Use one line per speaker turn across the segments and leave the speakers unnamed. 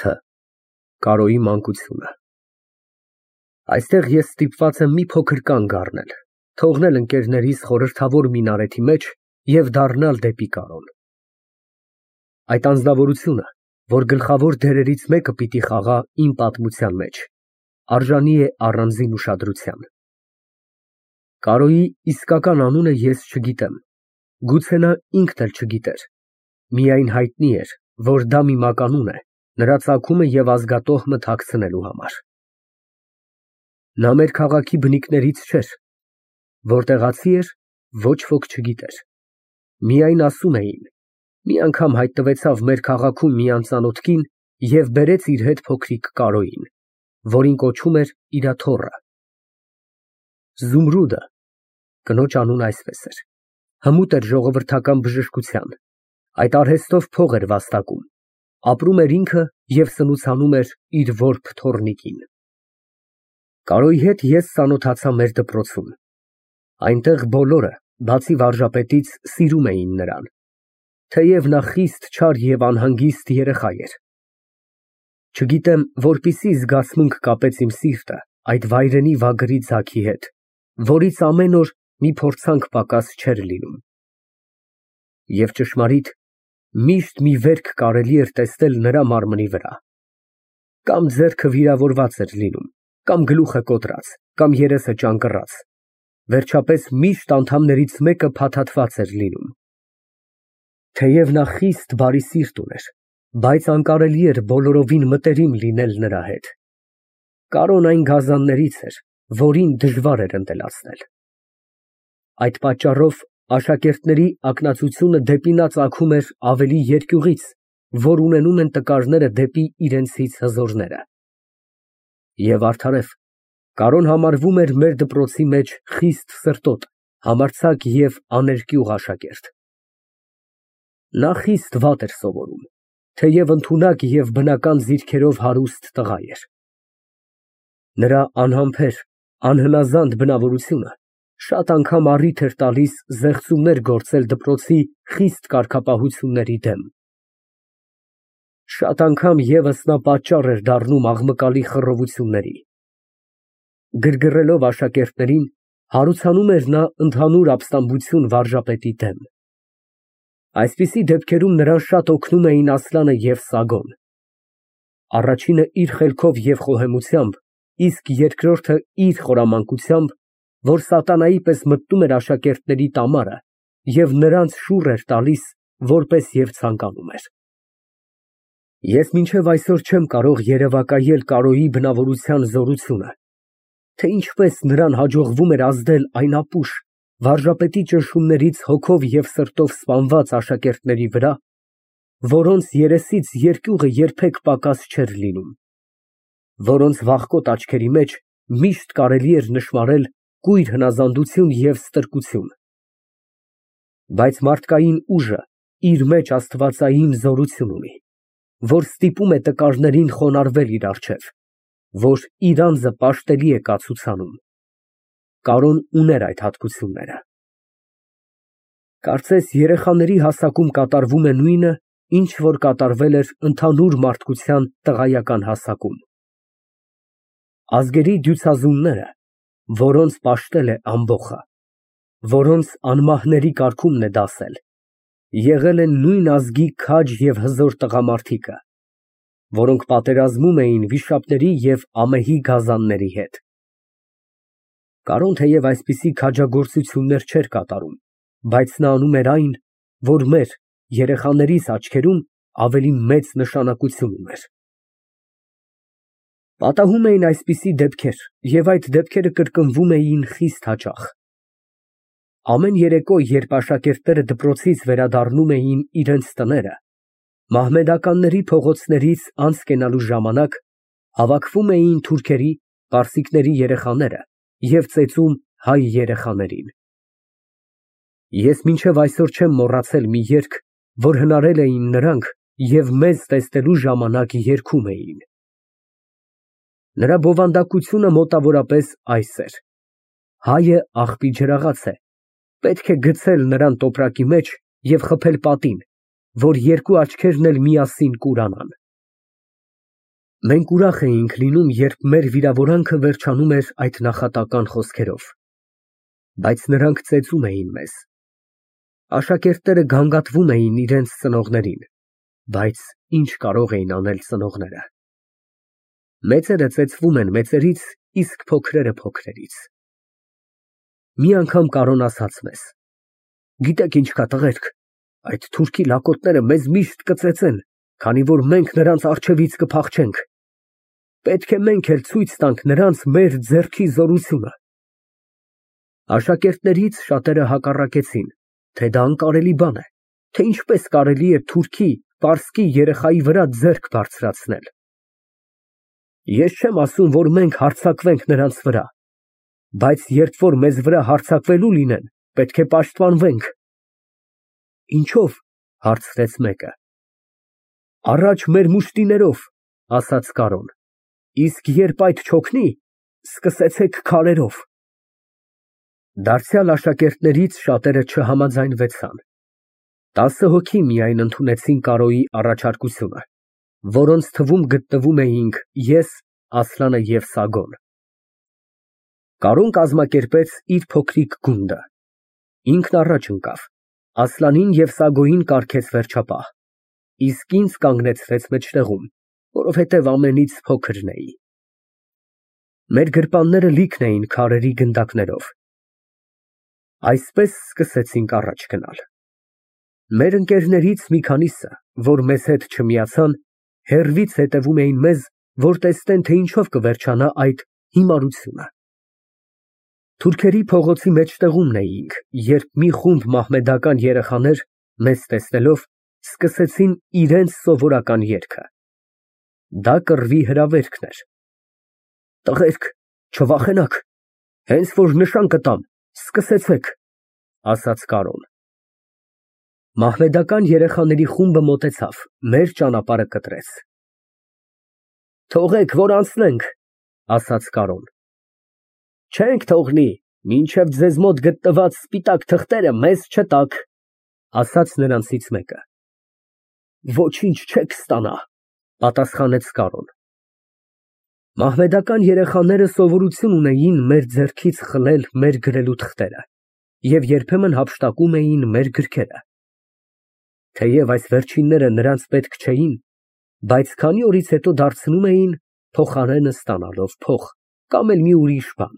Თ. Կարոյի մանկությունը։ Այստեղ ես ստիպված եմ մի փոքր կանգ առնել, թողնել ընկերներիս խորհրդավոր մինարեթի մեջ և դառնալ դեպի Կարոն։ Այդ անձնավորությունը, որ գլխավոր դերերից մեկը պիտի խաղա իմ պատմության մեջ, արժանի է առանձին ուշադրության։ Կարոյի իսկական անունը ես չգիտեմ, գուցե նա ինքն էլ չգիտեր, միայն հայտնի էր, որ դա մի մականուն է նրա ծագումը և ազգատոհմը թաքցնելու համար։ Նա մեր քաղաքի բնիկներից չէր, որտեղացի էր, ոչ ոք չգիտեր, միայն ասում էին, մի անգամ հայտնվեցավ մեր քաղաքում մի անծանոթ կին և բերեց իր հետ փոքրիկ Կարոյին, որին կոչում էր իր թոռը։ Զումրուդը (կնոջ անունը այսպես էր) հմուտ էր ժողովրդական բժշկության, այդ արհեստով փող էր վաստակում, ապրում էր ինքը և սնուցանում էր իր որբ թոռնիկին։ Կարոյի հետ ես ծանոթացա մեր դպրոցում, այնտեղ բոլորը, բացի վարժապետից, սիրում էին նրան, թեև նա խիստ չար և անհանգիստ երեխա էր։ Չգիտեմ որպիսի զգացմունք կապեց իմ սիրտը այդ վայրենի վագրի ձագի հետ, որից ամեն օր մի փորձանք պակաս չէր լինում։ Եվ ճշմարիտ, միշտ մի վերք կարելի էր տեսնել նրա մարմնի վրա. կամ ձեռքը վիրավորված էր լինում, կամ գլուխը կոտրած, կամ երեսը ճանկռած, վերջապես միշտ անդամներից մեկը փաթաթված էր լինում։ Թեև նա խիստ բարի սիրտ ուներ, բայց անկարելի էր բոլորովին մտերիմ լինել նրա հետ։ Կարոն այն գազաններից էր, որին դժվար էր ընտելացնել։ Այդ պատճառով աշակերտների ակնածությունը դեպի նա ծագում էր ավելի երկյուղից, որ ունենում են տկարները դեպի իրենցից հզորները։ Եվ արդարև, Կարոն համարվում էր մեր դպրոցի մեջ խիստ սրտոտ, համարձակ և աներկյուղ աշակերտ։ Նա խիստ վատ էր սովորում, թեև ընդունակ և բնական ձիրքերով հարուստ տղա էր։ Նրա անհամբեր, անհնազանդ բնավորությունը շատ անգամ առիթ էր տալիս զեղծումներ գործել դպրոցի խիստ կարգապահությունների դեմ։ Շատ անգամ ևս նա պատճառ էր դառնում աղմկալի խռովությունների։ Գրգռելով աշակերտներին, հարուցանում էր նա ընդհանուր ապստամբություն վարժապետի դեմ։ Այսպիսի դեպքերում նրան շատ օգնում էին Ասլանը և Սագոն։ Առաջինը իր խելքով և խոհեմությամբ, իսկ երկրորդը իր խորամանկությամբ, որ սատանայի պես մտնում էր աշակերտների տամարը և նրանց շուռ էր տալիս, որպես և ցանկանում էր։ Ես մինչև այսօր չեմ կարող երևակայել Կարոյի բնավորության զորությունը, թե ինչպես նրան հաջողվում էր ազդել այն ապուշ, վարժապետի ճնշումներից հոգով և սրտով սպանված աշակերտների վրա, որոնց երեսից երկյուղը երբեք պակաս չէր լինում, որոնց վախկոտ աչքերի մեջ միշտ կարելի էր նշմարել կույր հնազանդություն և ստրկություն։ Բայց մարդկային ուժը իր մեջ աստվածային զորություն ունի, որ ստիպում է տկարներին խոնարհվել իր առջև, որ իր անձը պաշտելի է կացուցանում։ Կարոն ուներ այդ հատկությունները։ Կարծես երեխաների հասակում կատարվում է նույնը, ինչ որ կատարվել էր ընդհանուր մարդկության տղայական հասակում։ Ազգերի դյուցազունները, որոնց պաշտել է ամբոխը, որոնց անմահների կարգումն է դասել, եղել են նույն ազգի քաջ և հզոր տղամարդիկը, որոնք պատերազմում էին վիշապների և ամեհի գազանների հետ։ Կարոն թեև այսպիսի քաջագործություններ չէր կատարում, բայց նա անում էր այն, որ մեր, երեխաներիս աչքերում ավելի մեծ նշանակություն ուներ։ Պատահում էին այսպիսի դեպքեր, և այդ դեպքերը կրկնվում էին խիստ հաճախ։ Ամեն երեկո, երբ աշակերտները դպրոցից վերադառնում էին իրենց տները, մահմեդականների փողոցներից անց կենալու ժամանակ, հավաքվում էին թուրքերի, պարսիկների երեխաները և ծեծում հայ երեխաներին։ Ես մինչև այսօր չեմ մոռացել մի երգ, որ հնարել էին նրանք և մեզ տեսնելու ժամանակ երգում էին։ Նրա բովանդակությունը մոտավորապես այս էր. հայը աղբի ջրաղաց է, պետք է գցել նրան տոպրակի մեջ և խփել պատին, որ երկու աչքերն էլ միասին կուրանան։ Մենք ուրախ էինք լինում, երբ մեր վիրավորանքը վերջանում էր այդ նախատական խոսքերով, բայց նրանք ծեծում էին մեզ։ Աշակերտները գանգատվում էին իրենց ծնողներին, բայց ինչ կարող էին անել ծնողները։ Մեծերը ծեծվում են մեծերից, իսկ փոքրերը փոքրերից։ Մի անգամ Կարոն ասաց մեզ. «Գիտեք ինչ կա, տղերք, այդ թուրքի լակոտները մեզ միշտ կծեծեն, քանի որ մենք նրանց առջևից կփախչենք։ Պետք է մենք էլ ցույց տանք նրանց մեր ձեռքի զորությունը»։ Աշակերտներից շատերը հակառակեցին, թե դա անկարելի բան է, թե ինչպես կարելի է թուրքի, պարսկի երեխայի վրա ձեռք բարձրացնել։ Ես չեմ ասում, որ մենք հարձակվենք նրանց վրա, բայց երբ որ մեզ վրա հարձակվելու լինեն, պետք է պաշտպանվենք։ Ինչո՞վ, հարցրեց մեկը։ Առաջ մեր մուշտիներով, ասաց Կարոն, իսկ երբ այդ չօգնի, սկսեցեք քարերով։ Դարձյալ աշակերտներից շատերը չհամաձայնվեցան։ 10 հոգի միայն ընդունեցին Կարոյի առաջարկությունը, որոնց թվում գտնվում էինք ես, Ասլանը և Սագոն։ Կարոն կազմակերպեց իր փոքրիկ գունդը։ Ինքն առաջ ընկավ, Ասլանին և Սագոյին կարգեց վերջապահ, իսկ ինձ կանգնեցրեց մեջտեղում, որովհետև ամենից փոքրն էի։ Մեր գրպանները լիքն էին քարերի գնդակներով։ Այսպես սկսեցինք առաջ գնալ։ Մեր ընկերներից մի քանիսը, որ մեզ հետ չմիացան, հեռվից հետևում էին մեզ, որ տեսնեն, թե ինչով կվերջանա այդ հիմարությունը։ Թուրքերի փողոցի մեջտեղումն էինք, երբ մի խումբ մահմեդական երեխաներ, մեզ տեսնելով, սկսեցին իրենց սովորական երգը։ Դա կռվի հրավերքն էր։ Տղերք, չվախենաք, հենց որ նշան կտամ, սկսեցեք, ասաց Կարոն։ Մահմեդական երեխաների խումբը մոտեցավ, մեր ճանապարհը կտրեց։ Թողեք, որ անցնենք, ասաց Կարոն։ Չենք թողնի, մինչև ձեզ մոտ գտնված սպիտակ թղթերը մեզ չտաք, ասաց նրանցից մեկը։ Ոչինչ չեք ստանա, պատասխանեց Կարոն։ Մահմեդական երեխաները սովորություն ունեին մեր ձեռքից խլել մեր գրելու թղթերը և երբեմն հափշտակում էին մեր գրքերը։ Թեև այս վերջինները նրանց պետք չէին, բայց քանի օրից հետո դարձնում էին, փոխարենը ստանալով փող կամ էլ մի ուրիշ բան։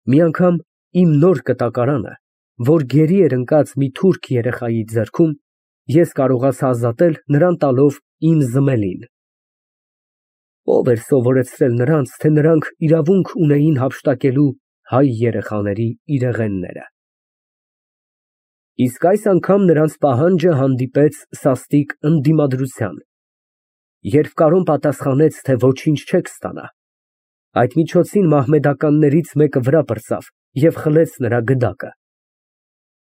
Մի անգամ իմ նոր կտակարանը, որ գերի էր ընկած մի թուրք երեխայի ձեռքում, ես կարողացա ազատել նրան տալով իմ զմելին։ Ով էր սովորեցրել նրանց, թե նրանք իրավունք ունեին հափշտակելու հայ երեխաների իրեղենները։ Իսկ այս անգամ նրանց պահանջը հանդիպեց սաստիկ ընդդիմադրության։ Երբ Կարոն պատասխանեց, թե ոչինչ չեք ստանա, այդ միջոցին մահմեդականներից մեկը վրա պրծավ և խլեց նրա գդակը։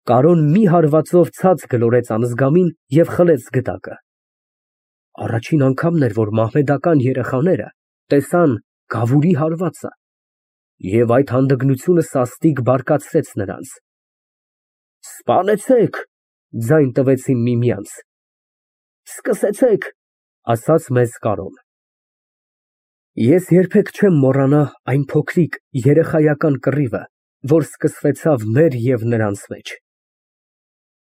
Կարոն մի հարվածով ցած գլորեց անզգամին և խլեց գդակը։ Առաջին անգամն էր, որ մահմեդական երեխաները տեսան գավուրի հարվածը, և այդ հանդգնությունը սաստիկ բարկացրեց նրանց։ Սպանեցեք, ձայն տվեցին միմյանց։ Սկսեցեք, ասաց մեզ Կարոն։ Ես երբեք չեմ մոռանա այն փոքրիկ երեխայական կռիվը, որ սկսվեցավ մեր և նրանց մեջ։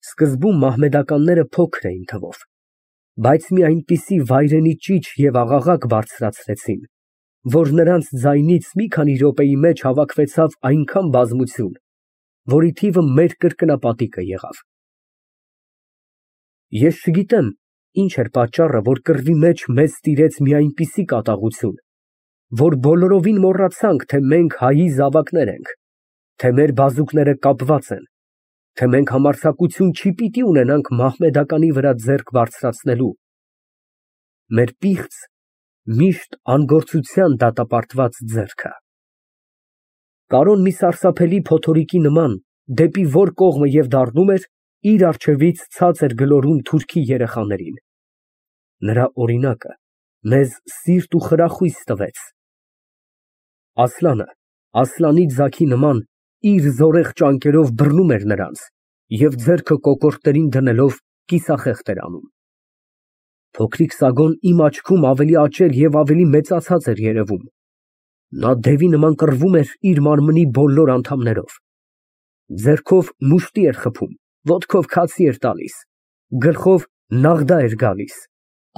Սկզբում մահմեդականները փոքր էին թվով, բայց մի այնպիսի վայրենի ճիչ և աղաղակ բարձրացրեցին, որ նրանց ձայնից մի քանի րոպեի մեջ հավաքվեցավ այնքան բազմություն, որի թիվը մեր կրկնապատիկը եղավ։ Ես չգիտեմ, ինչ էր պատճառը, որ կռվի մեջ մեզ տիրեց մի այնպիսի կատաղություն, որ բոլորովին մոռացանք, թե մենք հայի զավակներ ենք, թե մեր բազուկները կապված են, թե մենք համարձակություն չի պիտի ունենանք մահմեդականի վրա ձեռք բարձրացնելու։ Մեր պիղծ, միշտ անգործության դատապարտված ձեռքը։ Կարոն մի սարսափելի փոթորիկի նման, դեպի որ կողմը և դառնում էր, իր առջևից ցած էր գլորում թուրքի երեխաներին։ Նրա օրինակը մեզ սիրտ ու խրախույս տվեց։ Ասլանը, Ասլանի ձագի նման, իր զորեղ ճանկերով բռնում էր նրանց և ձեռքը կոկորդներին դնելով կիսախեղդ էր անում։ Փոքրիկ Սագոն իմ աչքում ավելի աճել և ավելի մեծացած էր երևում։ Նա դևի նման կռվում էր իր մարմնի բոլոր անդամներով։ Ձեռքով մուշտի էր խփում, ոտքով քացի էր տալիս, գլխով նաղդա էր գալիս,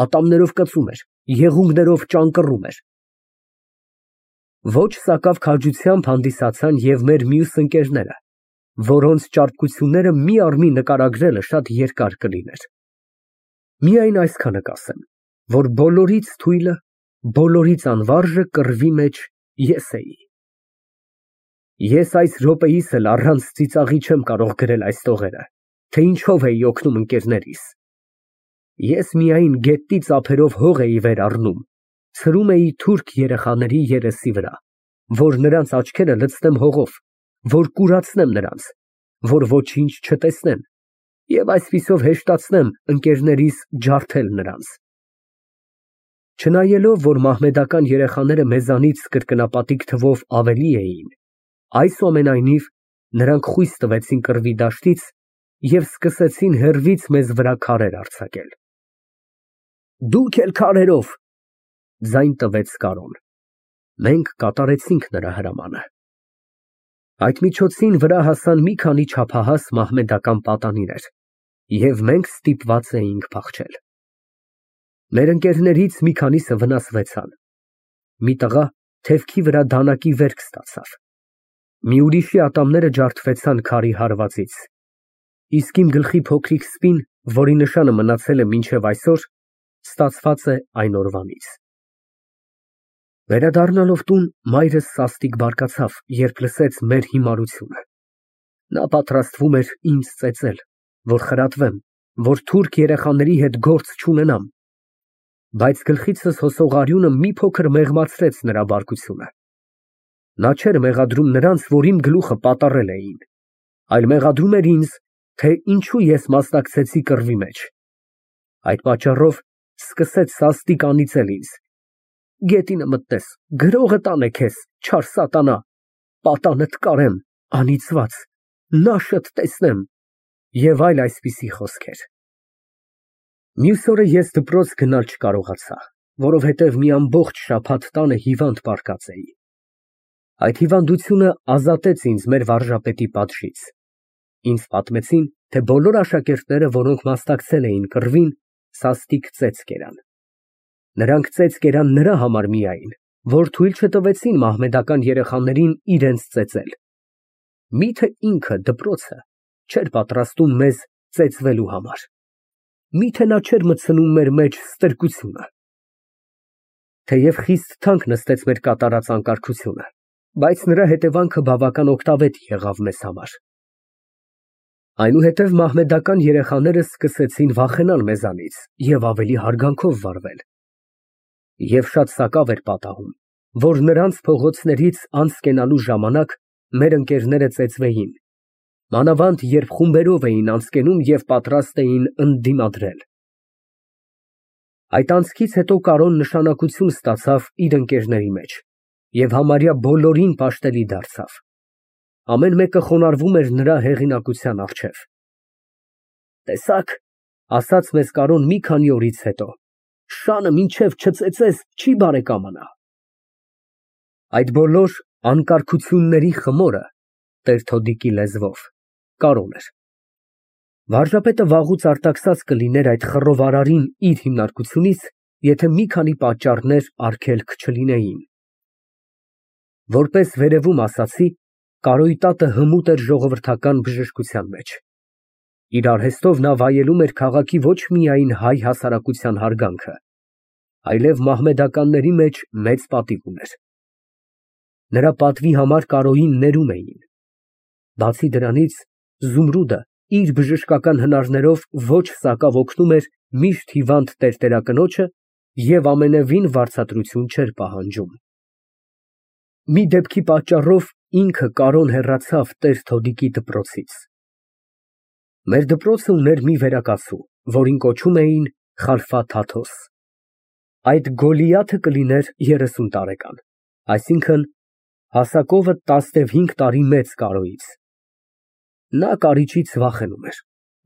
ատամներով կծում էր, եղունգներով ճանկռում էր։ Ոչ սակավ քաջությամբ հանդիսացան և մեր մյուս ընկերները, որոնց ճարպկությունները մի առ մի նկարագրելը շատ երկար կլիներ։ Միայն այսքանը կասեմ, որ բոլորից թույլը, բոլորից անվարժը կռվի մեջ ես էի։ Ես այս րոպեիս էլ առանց ծիծաղի չեմ կարող գրել այս տողերը, թե ինչով էի օգնում ընկերներիս։ Ես միայն գետնի ծափերով հող էի վեր առնում, ցրում էի թուրք երեխաների երեսի վրա, որ նրանց աչքերը լցնեմ հողով, որ կուրացնեմ նրանց, որ ոչինչ չտեսնեն, և այսպիսով հեշտացնեմ ընկերներիս ջարդել նրանց։ Չնայելով, որ մահմեդական երեխաները մեզանից կրկնապատիկ թվով ավելի էին, այսուամենայնիվ նրանք խույս տվեցին կռվի դաշտից և սկսեցին հեռվից մեզ վրա քարեր արձակել։ Դուք էլ քարերով, ձայն տվեց Կարոն։ Մենք կատարեցինք նրա հրամանը։ Այդ միջոցին վրա հասան մի քանի չափահաս մահմեդական պատանիներ, և մենք ստիպված էինք փախչել։ Մեր ընկերներից մի քանիսը վնասվեցան։ Մի տղա թևքի վրա դանակի վերք ստացավ։ Մի ուրիշի ատամները ջարդվեցան քարի հարվածից, իսկ իմ գլխի փոքրիկ սպին, որի նշանը մնացել է մինչև այսօր, ստացված է այն օրվանից։ Վերադառնալով տուն, մայրս սաստիկ բարկացավ, երբ լսեց մեր հիմարությունը։ Նա պատրաստվում էր ինձ ծեծել, որ խրատվեմ, որ թուրք երեխաների հետ գործ չունենամ, բայց գլխիցս հոսող արյունը մի փոքր մեղմացրեց նրա բարկությունը։ Նա չէր մեղադրում նրանց, որ իմ գլուխը պատառել էին, այլ մեղադրում էր ինձ, թե ինչու ես մասնակցեցի կռվի մեջ։ Այդ պատճառով սկսեց սաստիկ անիծել ինձ. Գետինը մտնես, գրողը տանե քեզ, չար սատանա, պատանդ կարեմ, անիծված, նաշդ տեսնեմ և այլ այսպիսի խոսքեր։ Մյուս օրը ես դպրոց գնալ չկարողացա, որովհետև մի ամբողջ շաբաթ տանը հիվանդ պառկած էի։ Այդ հիվանդությունը ազատեց ինձ մեր վարժապետի պատժից։ Ինձ պատմեցին, թե բոլոր աշակերտները, որոնք մասնակցել էին կռվին, սաստիկ ծեծ կերան։ Նրանք ծեծ կերան նրա համար միայն, որ թույլ չտվեցին մահմեդական երեխաներին իրենց ծեծել։ Միթե ինքը դպրոցը չէր պատրաստում մեզ ծեծվելու համար։ Միթե նա չէր մտցնում մեր մեջ ստրկությունը։ Թեև խիստ թանկ նստեց մեր կատարած անկարգությունը, բայց նրա հետևանքը բավական օգտավետ եղավ մեզ համար։ Այնուհետև մահմեդական երեխաները սկսեցին վախենալ մեզանից և ավելի հարգանքով վարվել։ Եվ շատ սակավ էր պատահում, որ նրանց փողոցներից անց կենալու ժամանակ մեր ընկերները ծեծվեին, մանավանդ երբ խումբերով էին անց կենում և պատրաստ էին ընդդիմադրել։ Այդ անցքից հետո Կարոն նշանակություն ստացավ իր ընկերների մեջ և համարյա բոլորին պաշտելի դարձավ։ Ամեն մեկը խոնարհվում էր նրա հեղինակության առջև։ Տեսա՞ք, ասաց մեզ Կարոն մի քանի օրից հետո, շանը մինչև չծեծես, չի բարեկամանա։ Այդ բոլոր անկարգությունների խմորը, տեր-Թոդիկի լեզվով, Կարոն էր։ Վարժապետը վաղուց արտաքսած կլիներ այդ խռովարարին իր հիմնարկությունից, եթե մի քանի պատճառներ արգելք չլինեին։ Որպես վերևում ասացի, Կարոյի տատը հմուտ էր ժողովրդական բժշկության մեջ։ Իր արհեստով նա վայելում էր քաղաքի ոչ միայն հայ հասարակության հարգանքը, այլև մահմեդականների մեջ մեծ պատիվ ուներ։ Նրա պատվի համար Կարոյին ներում էին։ Բացի դրանից, Զումրուդը իր բժշկական հնարներով ոչ սակավ օգնում էր միշտ հիվանդ տերտերակնոջը և ամենևին վարձատրություն չէր պահանջում։ Մի դեպքի պատճառով ինքը Կարոն հեռացավ տեր-Թոդիկի դպրոցից։ Մեր դպրոցը ուներ մի վերակացու, որին կոչում էին Խալֆա Թաթոս։ Այդ Գոլիաթը կլիներ 30 տարեկան, այսինքն հասակովը 15 տարի մեծ Կարոյից։ Նա կարիճից վախենում էր,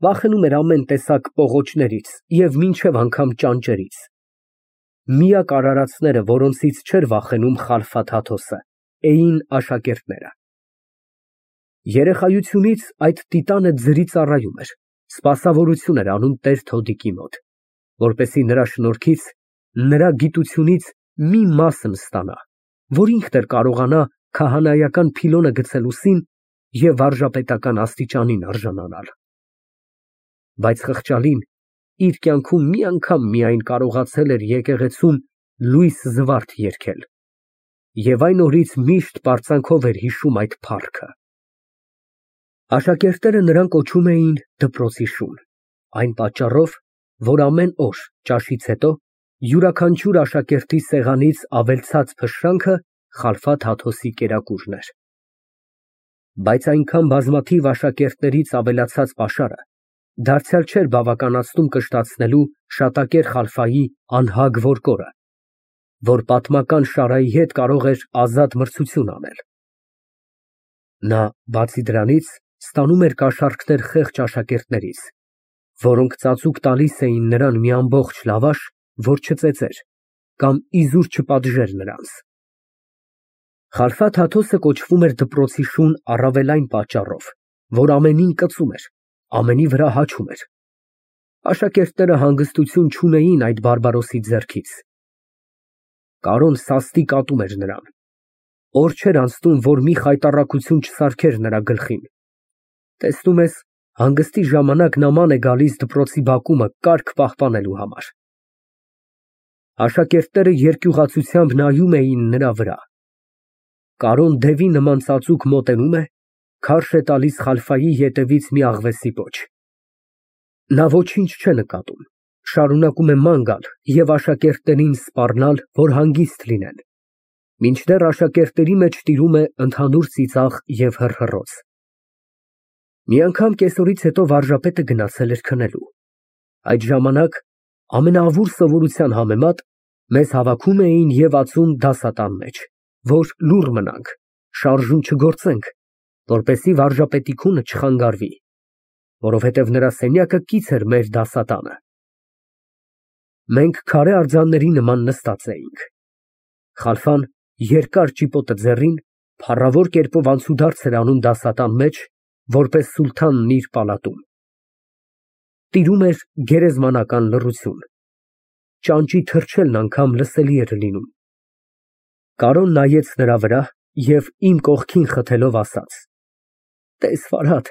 Վախենում էր ամեն տեսակ պողոչներից և մինչև անգամ ճանճերից։ Միակ արարածները, որոնցից չէր վախենում Խալֆաթ Հաթոսը, էին աշակերտները։ Երեխայությունից այդ տիտանը ձրի ծառայում էր, սպասավորություն էր անում տեր-թոդիկի մոտ, որպեսզի նրա շնորհքից, նրա գիտությունից մի մասն ստանա, որ ինքն էլ կարողանա քահանայական փիլոնը գցել ուսին և վարժապետական աստիճանին արժանանալ։ Բայց խղճալին իր կյանքում մի անգամ միայն կարողացել էր եկեղեցում լույս զվարթ երգել, և այն օրից միշտ պարծանքով էր հիշում այդ փառքը։ Աշակերտները նրան կոչում էին դպրոցի շուն, այն պատճառով, որ ամեն օր ճաշից հետո յուրաքանչյուր աշակերտի սեղանից ավելցած փշրանքը Խալֆաթ Հաթոսի կերակուրն էր։ Բայց այնքան բազմաթիվ աշակերտներից ավելացած պաշարը դարձյալ չէր բավականացնում կշտացնելու շատակեր Խալֆայի անհագ որկորը, որ պատմական Շարայի հետ կարող էր ազատ մրցություն անել։ Նա, բացի դրանից, ստանում էր կաշառքներ խեղճ աշակերտներից, որոնք ծածուկ տալիս էին նրան մի ամբողջ լավաշ, որ չծեծեր կամ իզուր չպատժեր նրանց։ Խալֆաթ Հաթոսը կոչվում էր դպրոցի շուն առավել այն պատճառով, որ ամենին կծում էր, ամենի վրա հաչում էր։ Աշակերտները հանգստություն չունեին այդ բարբարոսի ձեռքից։ Կարոն սաստիկ ատում էր նրան։ Օր չէր անցնում, որ մի խայտառակություն չսարքեր նրա գլխին։ Տեսնում ես, հանգստի ժամանակ նման է գալիս դպրոցի բակումը կարգ պահպանելու համար։ Աշակերտները երկյուղացությամբ նայում էին նրա վրա։ Կարոն դևի նման ծածուկ մոտենում է, քարշ է տալիս Խալֆայի ետևից մի աղվեսի պոչ։ Նա ոչինչ չէ նկատում, շարունակում է ման գալ և աշակերտներին սպառնալ, որ հանգիստ լինեն, մինչդեռ աշակերտների մեջ տիրում է ընդհանուր ծիծաղ և հռհռոց։ Մի անգամ կեսօրից հետո վարժապետը գնացել էր քնելու։ Այդ ժամանակ, ամենաավուր սովորության համեմատ, մեզ հավաքում էին և ածում դասատան մեջ, որ լուռ մնանք, շարժում չգործենք, որպեսզի վարժապետի քունը չխանգարվի, որովհետև նրա սենյակը կից էր մեր դասատանը։ Մենք քարե արձանների նման նստած էինք։ Խալֆան երկար ճիպոտը ձեռին փառավոր կերպով անցուդարձ էր անում դասատան մեջ, որպես սուլթանն իր պալատում։ Տիրում էր գերեզմանական լռություն։ Ճանճի թռչելն անգամ լսելի էր լինում։ Կարոն նայեց նրա վրա և իմ կողքին խթելով ասաց. «Տես, Ֆարհադ,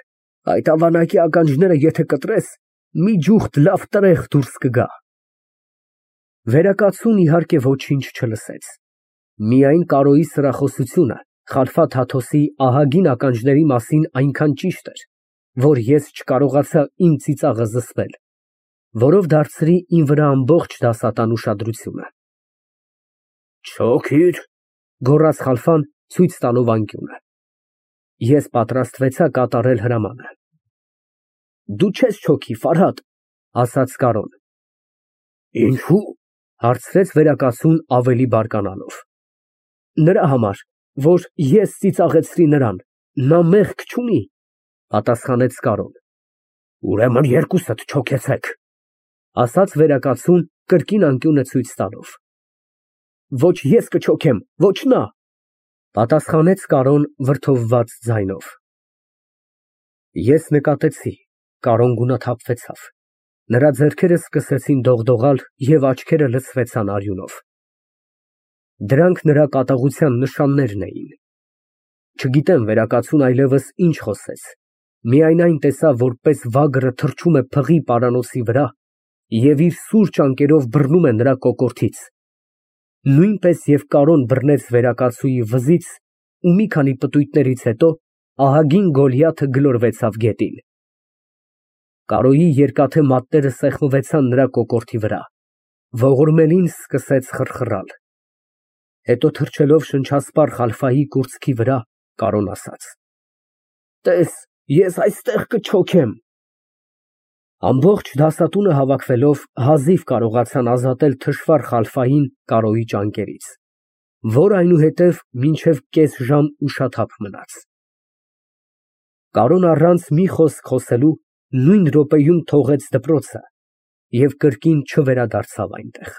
այդ ավանակի ականջները եթե կտրես, մի ջուխտ լավ տրեղ դուրս կգա»։ Վերակացուն, իհարկե, ոչինչ չլսեց։ Միայն Կարոյի սրախոսությունը Խալֆաթ Հաթոսի ահագին ականջների մասին այնքան ճիշտ էր, որ ես չկարողացա իմ ծիծաղը զսպել, որով դարձրի իմ վրա ամբողջ դասատան ուշադրությունը։ «Չոքիր», գոռաց Խալֆան, ցույց տալով անկյունը։ Ես պատրաստվեցա կատարել հրամանը։ «Դու չես չոքի, Ֆարհադ», ասաց Կարոն։ «Ինչո՞ւ», հարցրեց վերակացուն ավելի բարկանալով։ «Նրա համար, որ ես ծիծաղեցրի նրան, նա մեղք չունի», պատասխանեց Կարոն։ «Ուրեմն երկուսդ չոքեցեք», ասաց վերակացուն կրկին անկյունը ցույց տալով։ «Ոչ ես կչոքեմ, ոչ նա», պատասխանեց Կարոն վրդովված ձայնով։ Ես նկատեցի, Կարոն գունաթափվեցավ, նրա ձեռքերը սկսեցին դողդողալ և աչքերը լցվեցան արյունով։ Դրանք նրա կատաղության նշաններն էին։ Չգիտեմ վերակացուն այլևս ինչ խոսեց, միայն այն տեսա, որպես վագրը թռչում է փղի պարանոցի վրա և իր սուր ճանկերով բռնում է նրա կոկորդից, նույնպես և Կարոն բռնեց վերակացուի վզից ու մի քանի պտույտներից հետո ահագին Գոլիաթը գլորվեցավ գետին։ Կարոյի երկաթե մատները սեղմվեցան նրա կոկորդի վրա, ողորմելին սկսեց խռխռալ։ Հետո թռչելով շնչասպառ Խալֆայի կուրծքի վրա, Կարոն ասաց. «Տես, ես այստեղ կչոքեմ»։ Ամբողջ դասատունը հավաքվելով հազիվ կարողացան ազատել թշվառ Խալֆային Կարոյի ճանկերից, որ այնուհետև մինչև կես ժամ ուշաթափ մնաց։ Կարոն առանց մի խոսք խոսելու նույն րոպեում թողեց դպրոցը և կրկին չվերադարձավ այնտեղ։